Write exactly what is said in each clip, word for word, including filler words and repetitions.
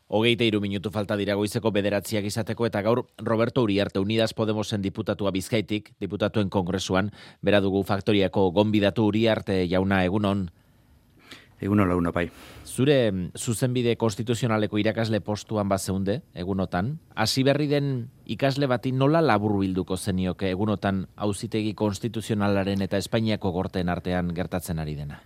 Hogeita hiru minutu falta dira goizeko bederatziak izateko eta gaur Roberto Uriarte Unidas Podemosen diputatua Bizkaitik, diputatuen kongresuan, bera dugu Faktoriako gonbidatu. Uriarte jauna, egunon. Egunon launa bai. Zure zuzenbide konstituzionaleko irakasle postuan bazeunde, egunotan, hasi berri den ikasle bati nola laburbilduko zenioke egunotan auzitegi konstituzionalaren eta Espainiako gorteen artean gertatzen ari dena?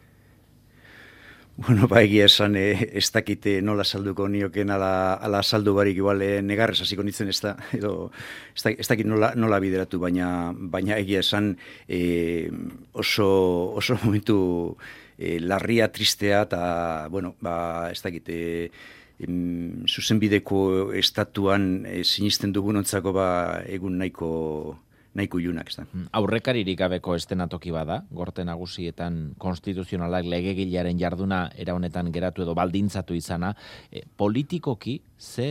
Bueno, ba, egia esan, eh, ez dakite nola salduko nioken ala, ala saldu barik igual eh, negarrez hasiko nintzen ez da, edo ez dakit, ez dakit nola, nola bideratu, baina, baina egia esan eh, oso, oso momentu eh, larria, tristea, eta, bueno, ba, ez dakit, eh, em, zuzenbideko estatuan eh, sinisten dugunontzako ba, egun nahiko... nahiko ilunak, ez da. Aurrekaririk gabeko estenatoki bada, gorte nagusietan konstituzionalak legegilaren jarduna era honetan geratu edo baldintzatu izana, e, politikoki ze,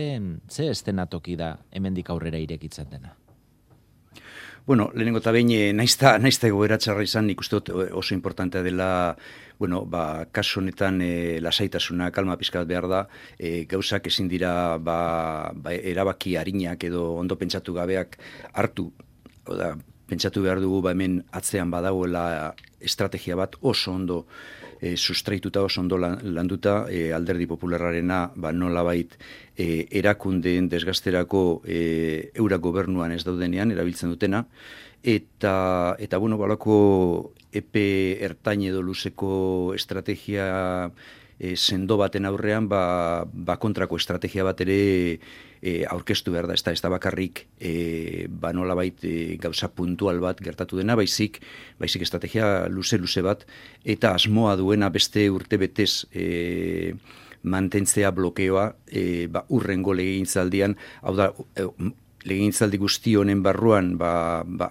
ze estenatoki da hemendik aurrera irekitzen dena? Bueno, lehenengo eta behin, naizta, naizta egoera txarra izan, nik uste dut oso importantea dela, bueno, ba, kasu honetan e, lasaitasuna, kalma pizkat behar da, e, gauzak ezin dira ba, ba, erabaki arinak edo ondo pentsatu gabeak hartu. Oda, pentsatu behar dugu ba hemen atzean badagoela estrategia bat oso ondo e, sustraituta, oso ondo landuta, e, Alderdi Popularrarena ba, nolabait e, erakundeen desgasterako e, eura gobernuan ez daudenean erabiltzen dutena, eta, eta bueno, balako epe ertain edo luzeko estrategia e, sendo baten aurrean, ba, ba kontrako estrategia bat ere E, aurkeztu behar da, ez da, ez da bakarrik e, ba nolabait e, gauza puntual bat gertatu dena, baizik, baizik estrategia luze-luze bat, eta asmoa duena beste urte betez e, mantentzea blokeoa e, ba, urrengo legegintzaldian, hau da, e, legegintzaldi guzti honen barruan ba, ba,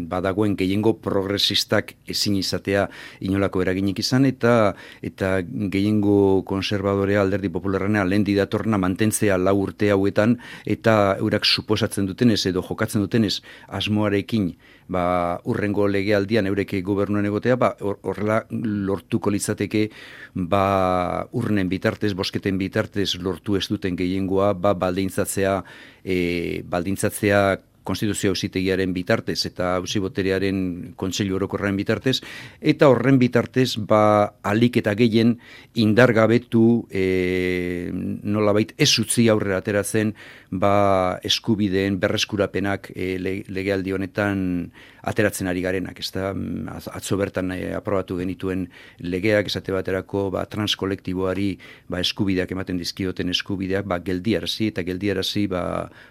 badagoen gehiengo progresistak ezin izatea inolako eraginik izan, eta eta gehiengo konservadorea Alderdi Popularrena lehendi datorna mantentzea lau urte hauetan, eta eurak suposatzen dutenez edo jokatzen dutenez asmoarekin ba, urrengo legealdian eureke gobernuen egotea, ba, horrela lortuko litzateke ba, urnen bitartez, bosketen bitartez lortu ez duten gehiengoa, ba, baldintzatzea, e, baldintzatzea Konstituzio Auzitegiaren bitartez eta Auziboterearen Kontseilu Orokorraren bitartez, eta horren bitartez ba, alik eta gehien indargabetu e, nolabait ez utzi aurrera ateratzen ba, eskubideen berreskurapenak e, legealdi honetan ateratzen ari garenak, ez da, atzo bertan e, aprobatu genituen legeak esate baterako ba, transkolektiboari ba, eskubideak ematen dizkioten eskubideak ba, geldiarazi eta geldiarazi ba,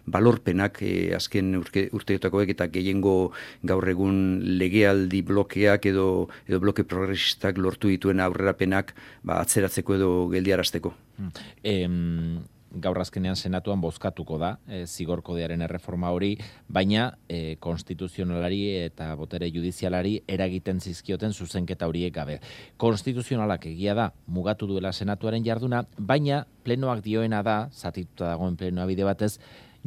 balorpenak e, azken urteotakoek eta gehiengo gaur egun legealdi blokeak edo, edo bloke progresistak lortu dituen aurrerapenak ba, atzeratzeko edo geldiarazteko. Em... Gaur azkenean senatuan bozkatuko da e, zigorkodearen erreforma hori, baina e, konstituzionalari eta botere judizialari eragiten zizkioten zuzenketa horiek gabe. Konstituzionalak egia da mugatu duela senatuaren jarduna, baina plenoak dioena da, zatituta dagoen plenoa bide batez,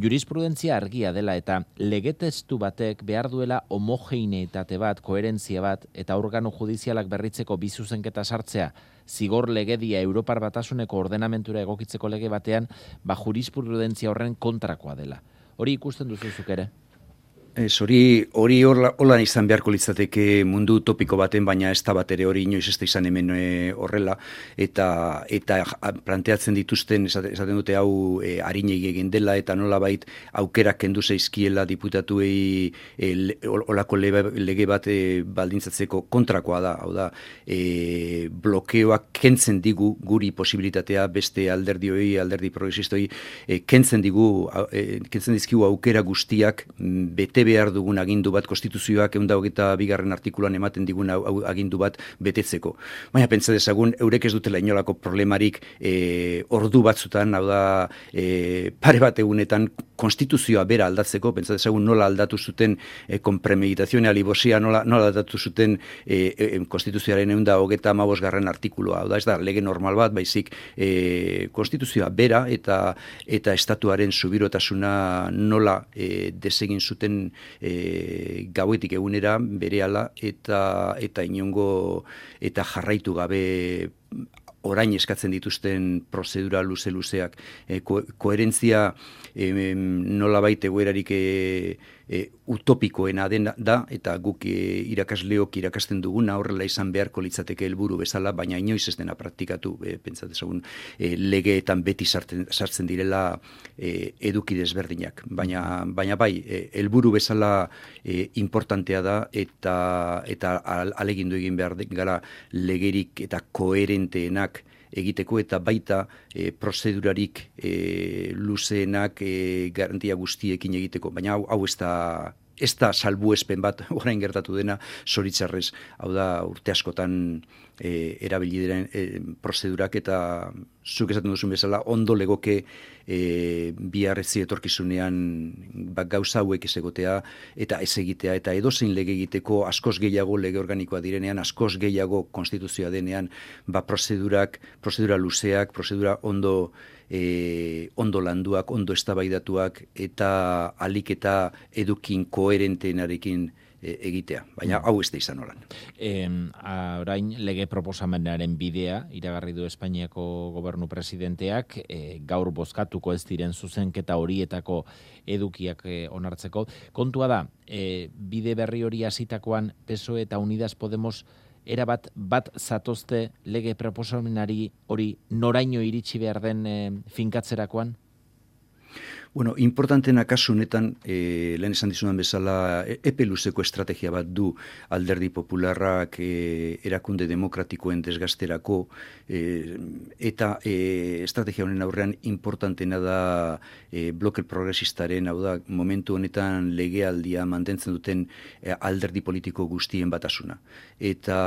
jurisprudentzia argia dela eta legetestu batek behar duela homogeneitate bat, koherentzia bat, eta organo judizialak berritzeko bi zuzenketa sartzea, zigor legedia Europar Batasuneko ordenamentura egokitzeko lege batean, ba jurisprudentzia horren kontrakoa dela. Hori ikusten duzuzuk ere? Ez, hori, hori hola izan beharko litzateke mundu topiko baten, baina ez da bat ere hori inoiz ez da izan hemen e, horrela, eta eta planteatzen dituzten, esaten dute hau e, harinei egin dela, eta nolabait aukerak kendu zaizkiela diputatuei e, olako lege, lege bat e, baldintzatzeko kontrakoa da, hau da, e, blokeoak kentzen digu guri posibilitatea beste alderdioi, alderdi progresistoi, e, kentzen digu, e, kentzen dizkigu aukera guztiak bete behar dugun agindu bat, konstituzioak ehun eta hogeita bigarren artikuluan ematen digun agindu bat betetzeko. Baina pentsa dezagun, eurek ez dutela inolako problemarik e, ordu batzutan, hau da, e, pare bat egunetan konstituzioa bera aldatzeko, pentsa dezagun nola aldatu zuten e, konpremeditazioa alibosia, nola, nola aldatu zuten e, e, konstituzioaren ehun eta hogeita hamabosgarren artikulua, hau da, ez da, lege normal bat, baizik e, konstituzioa bera eta eta estatuaren subirotasuna nola e, desegin zuten E, gauetik egunera berehala eta eta inongo eta jarraitu gabe orain eskatzen dituzten prozedura luze-luzeak. E, ko, koherentzia e, nolabait egoerarik e, e, utopikoena dena da, eta guk e, irakasleok irakasten duguna horrela izan beharko litzateke helburu bezala, baina inoiz ez dena praktikatu, e, pentsat ezagun, e, legeetan beti sartzen, sartzen direla e, eduki desberdinak. Baina, baina bai, e, helburu bezala e, importantea da, eta, eta alegindu egin behar gara legerik eta koherenteenak egiteko, eta baita e, prozedurarik e, luzeenak e, garantia guztiekin egiteko. Baina hau, hau ez da, ez da salbuespen bat orain gertatu dena, zoritzarrez, hau da urte askotan e, erabili diren e, prozedurak, eta zuk esaten duzun bezala ondo legoke e, biharrezi etorkizunean ba, gauza hauek ez egotea eta ez egitea, eta edozein lege egiteko askoz gehiago lege organikoa direnean, askoz gehiago konstituzioa denean, ba prozedurak, prozedura luzeak, prozedura ondo E, ondo landuak, ondo eztabaidatuak, eta alik eta edukin koherenteenarekin e, egitea. Baina hau ez da izan holan. E, orain lege proposamenaren bidea, iragarri du Espainiako gobernu presidenteak, e, gaur bozkatuko ez diren zuzenketa horietako edukiak e, onartzeko. Kontua da, e, bide berri hori hasitakoan P S O E eta Unidas Podemos erabat bat zatozte lege proposamenari hori noraino iritsi behar den e, finkatzerakoan? Bueno, importantena kasu honetan, e, lehen esan dizudan bezala, epe luzeko estrategia bat du Alderdi Popularrak e, erakunde demokratikoen desgasterako, e, eta e, estrategia honen aurrean importantena da e, bloke progresistaren, hau da, momentu honetan legealdia mantentzen duten e, alderdi politiko guztien batasuna. Eta,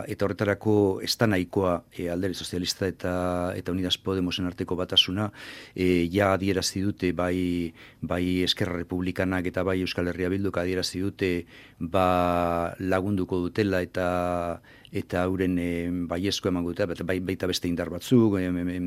eta horretarako ez da nahikoa e, Alderdi Sozialista eta, eta Unidas Podemosen arteko batasuna, e, ja adierazi dute bai bai Eskerra Republikanak eta bai Euskal Herria Bilduk adierazi dute ba lagunduko dutela eta eta hauren e, baiezko emango dute, bai, baita beste indar batzuk, e, e,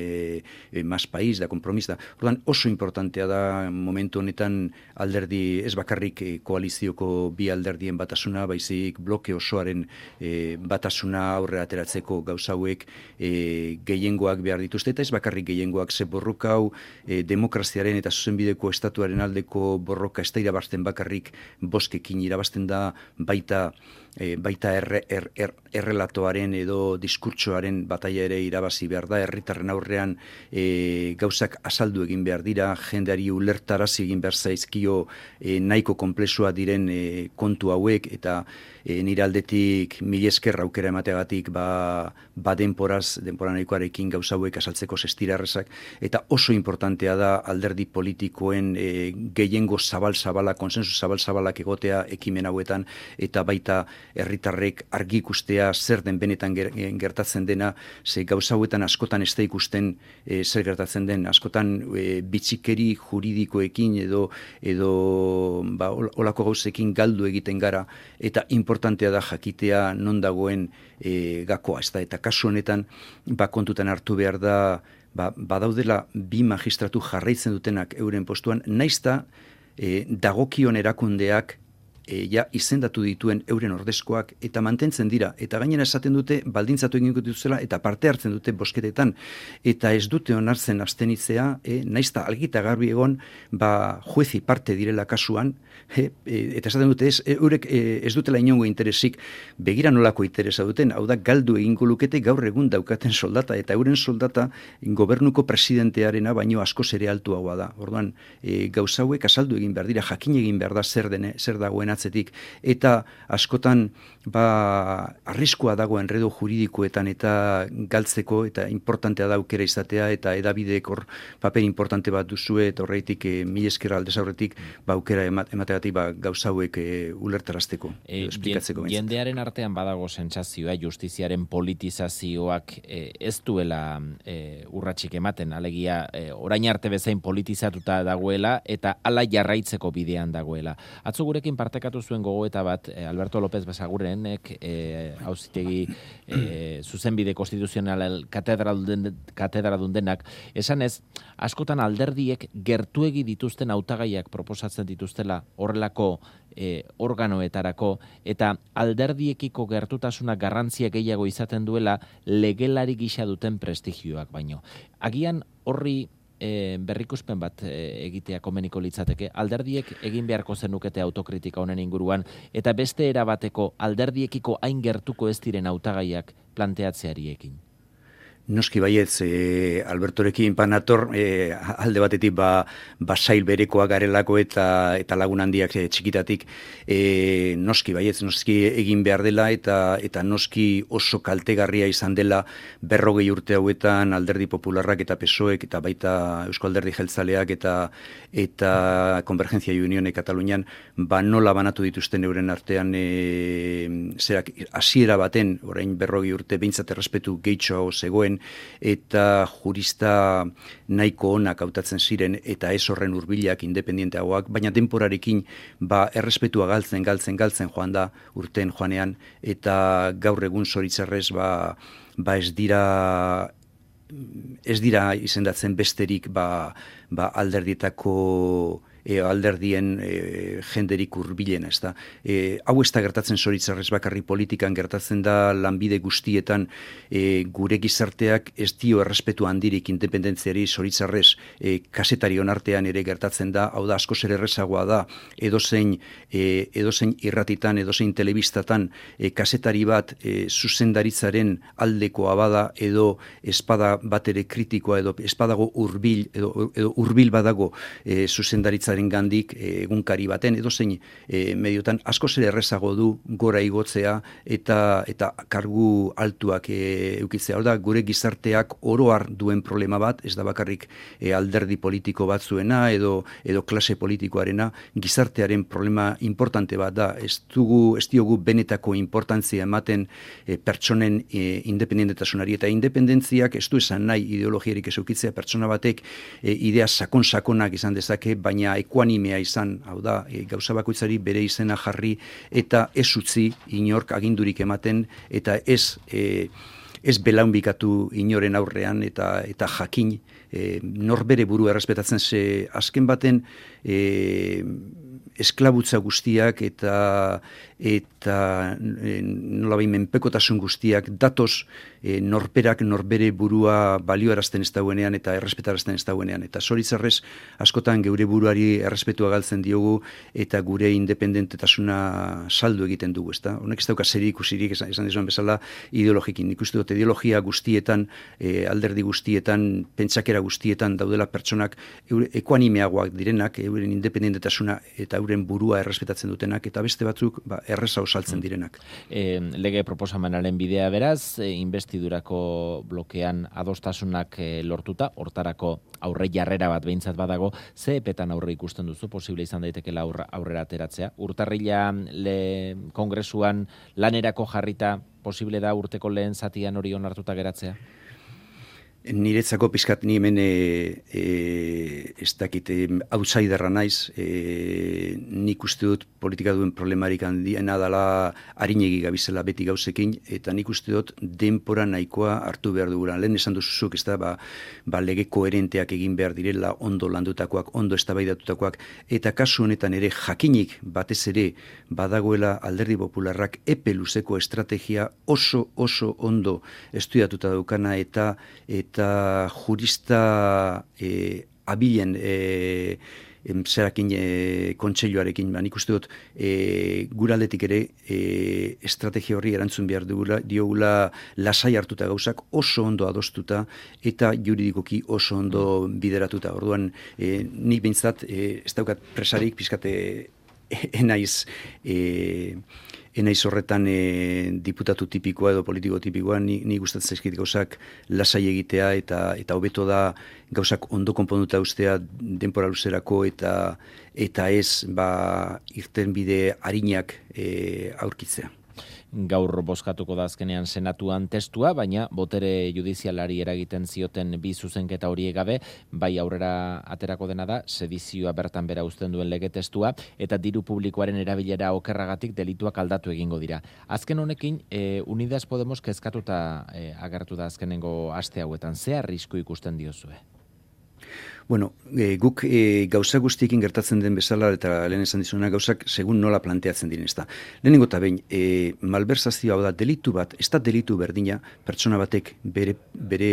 e, e, Mas País da Kompromis da. Orduan oso importantea da momentu honetan alderdi, ez bakarrik e, koalizioko bi alderdien batasuna, baizik bloke osoaren e, batasuna aurrera ateratzeko gauza hauek e, gehiengoak behar dituzte, eta ez bakarrik gehiengoak, ze borroka hau e, demokraziaren eta zuzenbideko estatuaren aldeko borroka ez da irabazten bakarrik boskekin, irabazten da baita E, baita erre, er, er, errelatoaren edo diskurtsoaren bataia ere irabazi behar da, herritarren aurrean e, gauzak azaldu egin behar dira, jendeari ulertarazi egin behar zaizkio e, nahiko konplexua diren e, kontu hauek, eta e, nire aldetik mila esker aukera emateagatik ba, ba denporaz, denpora nahikoarekin gauza hauek azaltzeko zestirarrezak, eta oso importantea da alderdi politikoen e, gehiengo zabal-zabala, konsensu zabal-zabalak egotea ekimen hauetan, eta baita herritarrek argi ikustea zer den benetan gertatzen dena, ze gauza hauetan askotan ez da ikusten e, zer gertatzen den, askotan e, bitxikeri juridikoekin edo edo ba, olako gauzekin galdu egiten gara, eta importantea da jakitea non dagoen e, gakoa, ez da, eta kasu honetan ba, kontutan hartu behar da ba, badaudela bi magistratu jarraitzen dutenak euren postuan, naizta e, dagokion erakundeak E, ja izendatu dituen euren ordezkoak eta mantentzen dira, eta gainera esaten dute baldintzatu egin dituzela eta parte hartzen dute bosketetan, eta ez dute onartzen abstenitzea, e, naizta algita garbi egon ba juezi parte direla kasuan, e, e, eta esaten dute ez, e, eurek e, ez dutela inongo interesik, begira nolako interesa duten, hau da galdu egingo lukete gaur egun daukaten soldata, eta euren soldata gobernuko presidentearena baino askoz ere altuagoa da. Orduan e, gauza hauek azaldu egin behar dira, jakin egin behar da zer dene, zer dagoen atzetik, eta askotan ba arriskua dago enredo juridikoetan eta galtzeko, eta importantea da aukera izatea, eta edabideek hor paper importante bat duzue, eta horreitik e, mila esker aldez aurretik ba aukera emategatik ba gauza hauek e, ulertarazteko, e, esplikatzeko. Jendearen artean badago sentsazioa justiziaren politizazioak e, ez duela e, urratsik ematen, alegia e, orain arte bezain politizatuta dagoela eta hala jarraitzeko bidean dagoela. Atzo gurekin parteka partekatu zuen gogoeta bat Alberto López Basagurenek auzitegi e, zuzenbide konstituzional katedradun denak, esan ez, askotan alderdiek gertuegi dituzten hautagaiak proposatzen dituztela horrelako e, organoetarako, eta alderdiekiko gertutasuna garrantzia gehiago izaten duela legelari gisa duten prestigioak baino. Agian horri E, berrikuspen bat e, egitea komeniko litzateke, alderdiek egin beharko zenukete autokritika honen inguruan, eta beste erabateko alderdiekiko hain gertuko ez diren hautagaiak planteatzeariekin. Noski baietz, e, Albertorekin panator, e, alde batetik ba, ba sail berekoa garelako eta eta lagun handiak e, txikitatik, e, noski baietz, noski egin behar dela eta eta noski oso kaltegarria izan dela berrogei urte hauetan Alderdi Popularrak eta P S O Ek eta baita Eusko Alderdi Jeltzaleak eta eta Konvergentzia y Unione Katalunian, ba nola banatu dituzten euren artean e, zerak hasiera baten, orain berrogei urte behintzat errespetu gehitxo zegoen, eta jurista nahiko onak hautatzen ziren eta ez horren hurbilak independienteagoak, baina denporarekin ba errespetua galtzen, galtzen, galtzen joan da urten joanean, eta gaur egun zoritzarrez ba, ba ez dira ez dira izendatzen besterik ba, ba alderdietako E, alderdien e, jenderik hurbilena, ez da. E, hau ez da gertatzen zoritzarrez bakarri politikan, gertatzen da lanbide guztietan e, gure gizarteak ez dio errespetu handirik independentziari zoritzarrez e, kasetarion artean ere gertatzen da, hau da askoz ere errezagoa da, edozein, e, edozein irratitan, edozein telebistatan e, kasetari bat e, zuzendaritzaren aldekoa bada, edo espada bat ere kritikoa, edo espadago hurbil, edo, edo hurbil badago e, zuzendaritzaren gandik egunkari baten edo zein e, mediotan askoz ere errezago du gora igotzea eta eta kargu altuak e, eukitzea. Hor da, gure gizarteak oroar duen problema bat, ez da bakarrik e, alderdi politiko batzuena edo edo klase politikoarena, gizartearen problema importante bat da. Ez dugu, ez diogu benetako importantzia ematen e, pertsonen e, independentetasunari, eta independentziak ez du esan nahi ideologiarik ez eukitzea, pertsona batek e, idea sakon-sakonak izan dezake, baina ekuanimea izan, hau da, e, gauza bakoitzari bere izena jarri eta ez utzi inork agindurik ematen eta ez e, ez belaunbikatu inoren aurrean eta eta jakin e, norbere burua errespetatzen, ze azken baten e, esklabutza guztiak eta eta e, nolabait menpekotasun guztiak datoz e, norperak norbere burua balioarazten ez dauenean eta errespetarazten ez dauenean, eta zoritzarrez askotan geure buruari errespetua galtzen diogu eta gure independentetasuna saldu egiten dugu, ezta? Honek ez dauka zer ikusirik, esan, esan dizuen bezala, ideologikin. Nik uste dut ideologia guztietan, e, alderdi guztietan, pentsakera guztietan daudela pertsonak eure, ekuanimeagoak direnak, euren independentetasuna eta euren burua errespetatzen dutenak, eta beste batzuk ba, erreza osaltzen direnak. E, lege proposamenaren bidea beraz, e, investidurako blokean adostasunak e, lortuta, hortarako aurre jarrera bat behintzat badago, ze epetan aurre ikusten duzu, posible izan daitekela aurra, aurrera ateratzea? Urtarrila le kongresuan lanerako jarrita, posible da urteko lehen zatian hori onartuta geratzea? Niretzako pizkat ni hemen e, e, ez dakit outsiderra naiz, e, nik uste dut politika duen problemarik handiena dela arinegi gabizela beti gauzekin, eta nik uste dut denpora nahikoa hartu behar dugula. Lehen esan duzuzuk, ez da, ba, ba lege koherenteak egin behar direla, ondo landutakoak, ondo eztabaidatutakoak, eta kasu honetan ere jakinik batez ere badagoela Alderdi Popularrak epe luzeko estrategia oso oso ondo estudiatuta daukana eta eta eta jurista e, abilen e, zerakin e, kontseiluarekin, ba, nik uste dut e, guraldetik ere e, estrategia horri erantzun behar dugula, diogula lasai hartuta gauzak oso ondo adostuta eta juridikoki oso ondo bideratuta. Orduan, e, nik behintzat, e, ez daukat presarik, pizkate enaiz e, enaiz horretan e, diputatu tipikoa edo politiko tipikoa, ni, ni gustatzen zaizkit gauzak lasai egitea eta eta hobeto da gauzak ondo konponduta ustea denpora luzerako eta eta ez ba irten bide arinak e, aurkitzea. gaur bozkatuko da azkenean senatuan testua, baina botere judizialari eragiten zioten bi zuzenketa horiek gabe, bai aurrera aterako dena da, sedizioa bertan bera uzten duen lege testua, eta diru publikoaren erabilera okerragatik delituak aldatu egingo dira. Azken honekin, e, Unidas Podemos kezkatuta e, agertu da azkenengo aste hauetan. Ze arrisku ikusten diozue? Bueno, e, guk e, gauza guztiekin gertatzen den bezala, eta lehen esan dizuna gauzak, segun nola planteatzen diren ez da. Lehenengo eta behin, e, malbersazioa hau da, delitu bat, ez da delitu berdina, pertsona batek bere, bere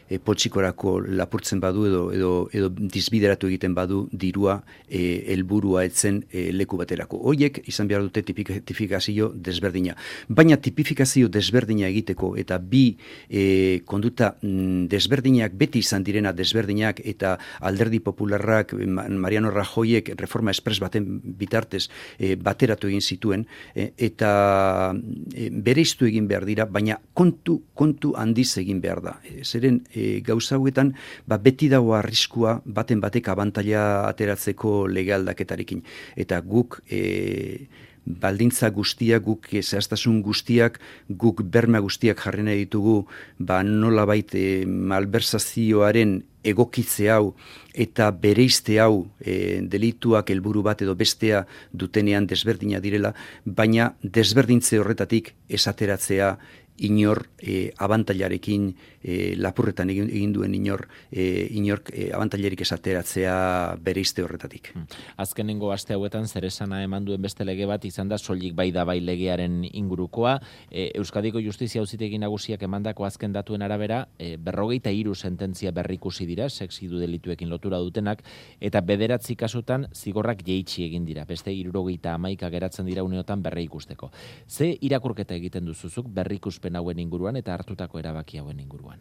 e, poltsikorako lapurtzen badu edo, edo, edo dizbideratu egiten badu dirua e, helburua etzen e, leku baterako. Hoiek izan behar dute tipifikazio desberdina. Baina tipifikazio desberdina egiteko eta bi e, konduta desberdinak, beti izan direna desberdinak eta Alderdi Popularrak, Mariano Rajoyek reforma espres baten bitartez e, bateratu egin zituen e, eta e, bereiztu egin behar dira, baina kontu kontu handiz egin behar da. E, zeren e, gauza hauetan ba, beti dago arriskua baten batek abantaila ateratzeko lege aldaketarekin. Eta guk e, baldintza guztiak, guk zehaztasun guztiak, guk berma guztiak jarri nahi ditugu, ba nolabait e, malbersazioaren egokitze hau eta bereizte hau e, delituak helburu bat edo bestea dutenean desberdina direla, baina desberdintze horretatik esateratzea inor e, abantailarekin e, lapurretan egin, egin duen inor e, inork e, abantailarik esateratzea bereizte horretatik. Azkenengo aste hauetan zeresana eman duen beste lege bat izan da soilik bai da bai legearen ingurukoa. E, Euskadiko Justizia Auzitegi Nagusiak emandako azken datuen arabera e, berrogeita hiru sententzia berrikusi dira sexidu delituekin lotura dutenak eta bederatzi kasutan zigorrak jeitsi egin dira. Beste hirurogeita hamaika geratzen dira uneotan berri ikusteko. Ze irakurketa egiten duzuzuk berrikuspen hauen inguruan eta hartutako erabaki hauen inguruan?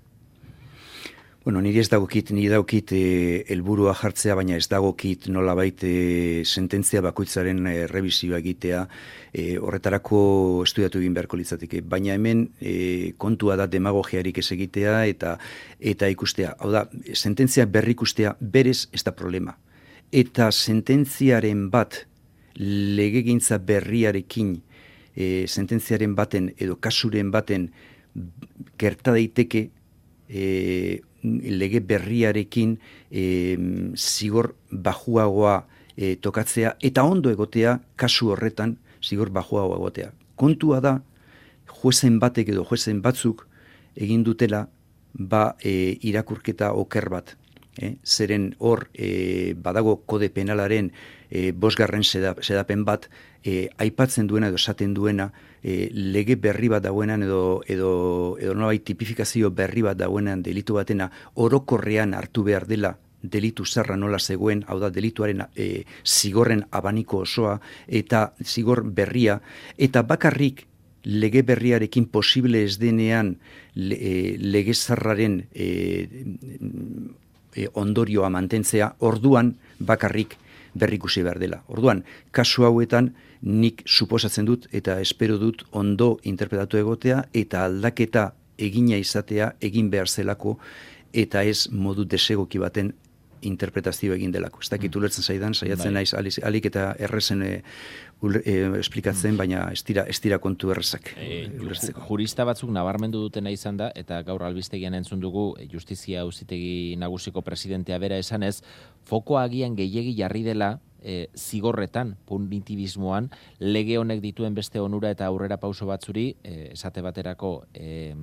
Bueno, niri ez dagokit, niri dagokit helburua e, jartzea, baina ez dagokit nolabait e, sententzia bakoitzaren e, revisioa egitea, e, horretarako estudiatu egin beharko litzateke. Baina hemen e, kontua da demagogiarik ez egitea eta eta ikustea. Hau da, sententzia berrikustea berez ez da problema. Eta sententziaren bat legegintza berriarekin E, sententziaren baten edo kasuren baten gerta daiteke e, lege berriarekin e, zigor bajuagoa e, tokatzea eta ondo egotea kasu horretan zigor bajuagoa egotea. Kontua da juezen batek edo juezen batzuk egin dutela ba e, irakurketa oker bat. Eh? Zeren hor e, badago kode penalaren e, bosgarren sedapen bat e, aipatzen duena edo esaten duena e, lege berri bat dauenan edo edo edo nolabait tipifikazio berri bat dauenan delitu batena orokorrean hartu behar dela delitu zarra nola zegoen, hau da delituaren e, zigorren abaniko osoa eta zigor berria eta bakarrik lege berriarekin posible ez denean le, e, lege zarraren e, E, ondorioa mantentzea, orduan bakarrik berrikusi behar dela. Orduan, kasu hauetan nik suposatzen dut eta espero dut ondo interpretatu egotea eta aldaketa egina izatea egin behar zelako eta ez modu desegoki baten interpretazio egin delako. Ez dakit ulertzen zaidan, saiatzen naiz alik eta errezen e, ul, e, esplikatzen, baina ez dira, ez dira kontu errezak e, jurista batzuk nabarmendu dutena izan da, eta gaur albistegian entzun dugu Justizia Auzitegi Nagusiko presidentea bera esanez, fokoa agian gehiegi jarri dela e, zigorretan, punitibismoan, lege honek dituen beste onura eta aurrera pauso batzuri, e, esate baterako e,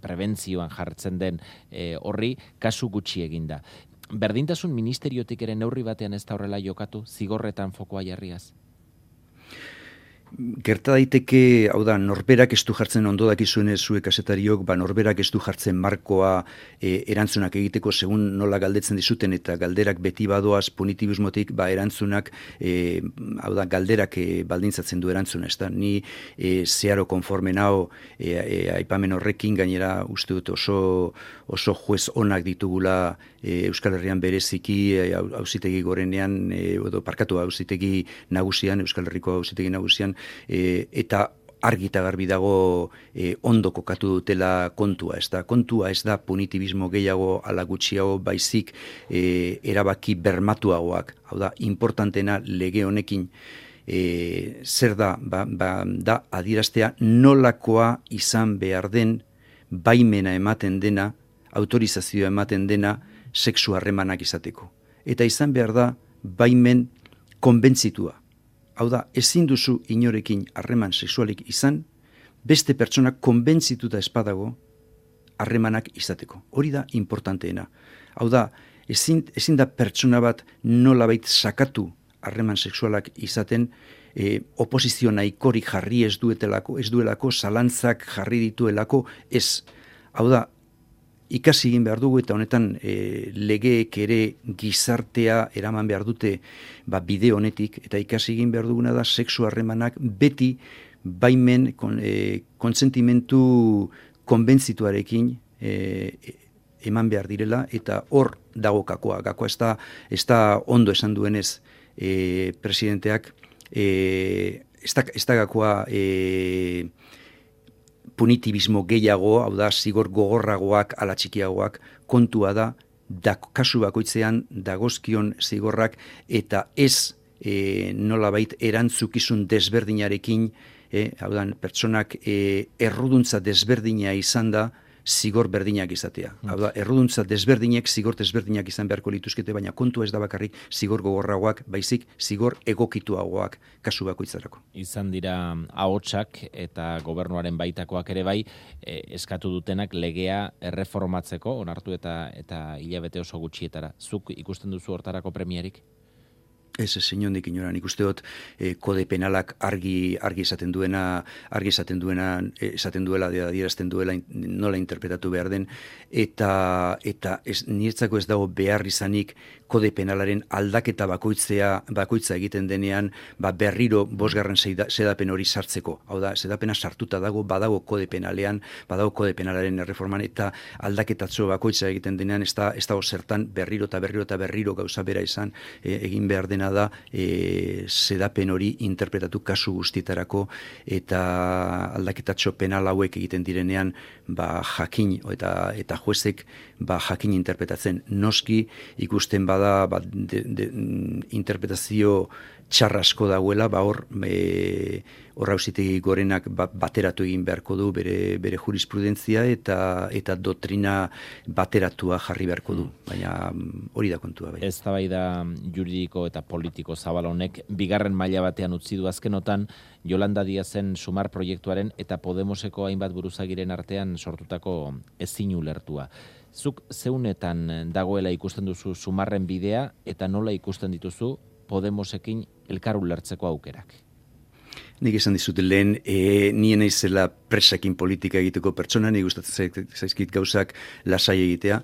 prebentzioan jartzen den e, horri, kasu gutxi eginda. Berdintasun ministeriotik ere neurri batean ez da horrela jokatu, zigorretan fokoa jarriaz? Gerta daiteke, hau da, norberak ez du jartzen ondo dakizuenez zuek kazetariok, ba norberak ez du jartzen markoa e, erantzunak egiteko segun nola galdetzen dizuten eta galderak beti badoaz punitibismotik, ba erantzunak, e, hau da, galderak e, baldintzatzen du erantzuna, ez da, ni e, zeharo konforme nao e, e, aipamen horrekin, gainera uste dut oso, oso juez onak ditugula e, Euskal Herrian bereziki, e, auzitegi gorenean, e, edo parkatu auzitegi nagusian, Euskal Herriko auzitegi nagusian, E, eta argi eta garbi dago e, ondo kokatu dutela kontua, ez da, kontua ez da punitibismo gehiago ala gutxiago baizik e, erabaki bermatuagoak, hau da, importantena lege honekin e, zer da, ba, ba, da adieraztea nolakoa izan behar den baimena ematen dena, autorizazioa ematen dena, sexu harremanak izateko. Eta izan behar da baimen konbentzitua. Hau da, ezin duzu inorekin harreman sexualik izan, beste pertsonak konbentzituta espadago harremanak izateko. Hori da importanteena. Hau da, ezin, ezin da pertsona bat nolabait sakatu harreman sexualak izaten, e, oposizio nahikorik jarri ez duetelako, ez duelako, zalantzak jarri dituelako, ez. Hau da, ikasi egin behar dugu eta honetan e, legeek ere gizartea eraman behar dute ba, bide honetik, eta ikasi egin behar duguna da sexu harremanak beti baimen kon, e, kontsentimentu konbentzituarekin e, eman behar direla, eta hor dago kakoa. Gakoa ez da, ez da ondo esan duenez e, presidenteak, e, ez da, ez da gakoa e, punitibismo gehiago, hau da, zigor gogorragoak, ala txikiagoak, kontua da, da kasu bakoitzean dagozkion zigorrak, eta ez e, nolabait erantzukizun desberdinarekin, e, hau da, pertsonak e, erruduntza desberdina izan da, zigor berdinak izatea. Hau da, erruduntza desberdinek zigor desberdinak izan beharko lituzkete, baina kontua ez da bakarrik zigor gogorragoak, baizik zigor egokituagoak kasu bakoitzarako. Izan dira ahotsak eta gobernuaren baitakoak ere bai, eh, eskatu dutenak legea erreformatzeko, onartu eta eta hilabete oso gutxietara. Zuk ikusten duzu hortarako premiarik? Ez, ez, inondik inoran, ikuste dut eh, kode penalak argi argi esaten duena, argi esaten duena, eh, esaten duela, adierazten duela nola interpretatu behar den, eta eta ez, niretzako ez dago behar izanik kode penalaren aldaketa bakoitzea, bakoitza egiten denean, ba berriro bosgarren sedapen hori sartzeko. Hau da, sedapena sartuta dago, badago kode penalean, badago kode penalaren erreforman, eta aldaketatxo bakoitza egiten denean, ez da, ez dago zertan berriro eta berriro eta berriro gauza bera izan eh, egin behar dena da e, sedapen hori interpretatu kasu guztietarako, eta aldaketatxo penal hauek egiten direnean ba jakin eta eta juezek ba jakin interpretatzen. Noski ikusten bada ba, de, de, interpretazio txarrasko dagoela, ba hor e, hor auzitegi gorenak ba, bateratu egin beharko du bere bere jurisprudentzia eta eta doktrina bateratua jarri beharko du, baina hori da kontua bai. Eztabaida juridiko eta politiko zabal honek bigarren maila batean utzi du azkenotan Yolanda Díazen sumar proiektuaren eta Podemoseko hainbat buruzagiren artean sortutako ezin ulertua. Zuk zeunetan dagoela ikusten duzu sumarren bidea eta nola ikusten dituzu Podemosekin elkar ulertzeko aukerak? Nik esan dizut lehen, e, nien naizela presakin politika egiteko pertsona, nik gustatzen zaizkit gauzak lasai egitea.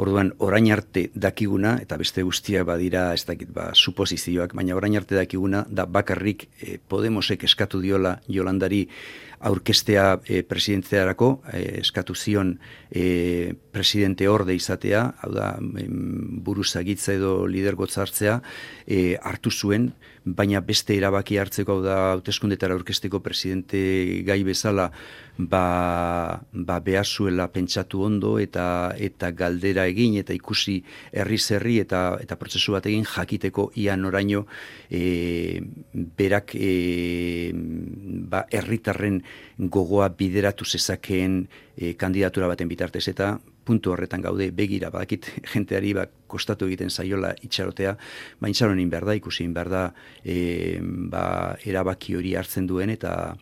Orduan, orain arte dakiguna, eta beste guztiak badira, ez dakit, ba, suposizioak, baina orain arte dakiguna, da bakarrik e, Podemosek eskatu diola Yolandari aurkestea e, presidentziarako, e, eskatu zion e, presidente orde izatea, hau da, em, buruzagitza edo lidergotza hartzea, e, hartu zuen, baina beste erabaki hartzeko, hau da, hauteskundetara aurkesteko presidente gai bezala, ba, ba behar zuela pentsatu ondo eta eta galdera egin eta ikusi herri zerri eta eta prozesu bat egin jakiteko ia noraino e, berak e, ba herritarren gogoa bideratu zezakeen e, kandidatura baten bitartez, eta puntu horretan gaude. Begira, badakit jenteari ba, kostatu egiten zaiola itxarotea, ba itxaron egin behar da, ikusi egin behar da e, ba, erabaki hori hartzen duen eta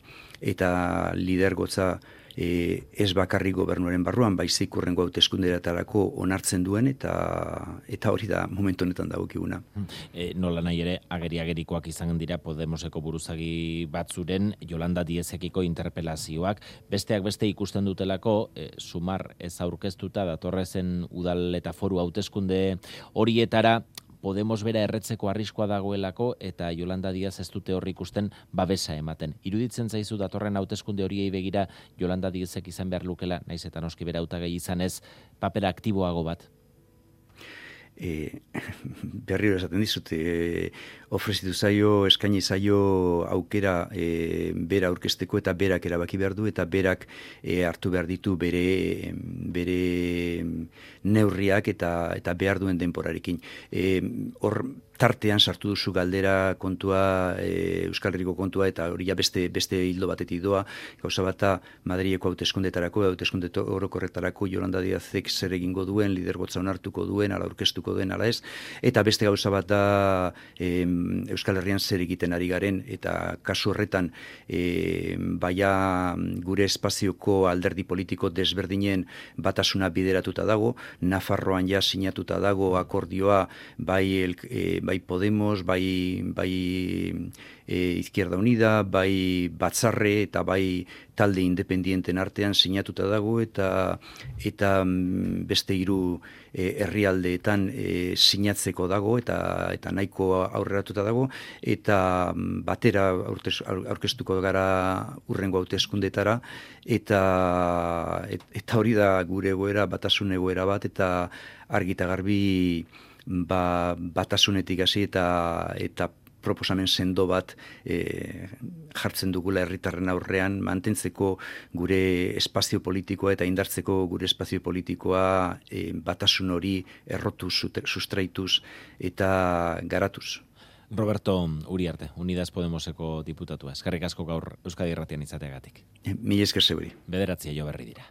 eta lidergotza e, ez bakarrik gobernuaren barruan, baizik hurrengo hauteskundeetarako onartzen duen, eta eta hori da momentu honetan dagokiguna. E, nola nahi ere, ageri-agerikoak izan dira Podemoseko buruzagi batzuren Yolanda Díezekiko interpelazioak, besteak beste ikusten dutelako, e, sumar ez aurkeztuta datorrezen udal eta foru hauteskunde horietara, Podemos bera erretzeko arriskoa dagoelako eta Yolanda Díaz ez dute horri ikusten babesa ematen. Iruditzen zaizu datorren hauteskunde horiei begira Yolanda Díazek izan behar lukela, naiz eta noski bera hautagai izan ez, papera aktiboago bat? E, berriro esaten dizut, e, ofrezitu zaio, eskaini zaio aukera e, bera aurkezteko eta berak erabaki behar du eta berak e, hartu behar ditu bere, bere neurriak eta eta behar duen denporarekin. E, hor tartean sartu duzu galdera kontua, e, Euskal Herriko kontua, eta hori ja beste, beste hildo batetik doa, gauza bata Madrileko hauteskundetarako, hauteskunde orokorretarako Yolanda Díazek zer egingo duen, lidergotza onartuko duen, ala aurkeztuko duen, ala ez, eta beste gauza bat da e, Euskal Herrian zer egiten ari garen, eta kasu horretan e, baia gure espazioko alderdi politiko desberdinen batasuna bideratuta dago, Nafarroan ja sinatuta dago akordioa bai, el, e, bai Podemos, bai, bai e, Izquierda Unida, bai Batzarre eta bai talde independienten artean sinatuta dago, eta eta beste hiru e, herrialdeetan e, sinatzeko dago, eta eta nahiko aurreratuta dago, eta batera aurkeztuko gara urrengo hauteskundetara, eta eta hori da gure egoera, batasun egoera bat, eta argi eta garbi ba, batasunetik hasi eta eta proposamen sendo bat e, jartzen dugula herritarren aurrean, mantentzeko gure espazio politikoa eta indartzeko gure espazio politikoa e, batasun hori errotuz, sustraituz eta garatuz. Roberto Uriarte, Unidas Podemoseko diputatua. Eskerrik asko gaur Euskadi Irratian izateagatik. Mila esker zeuri. Bederatzi jo berri dira.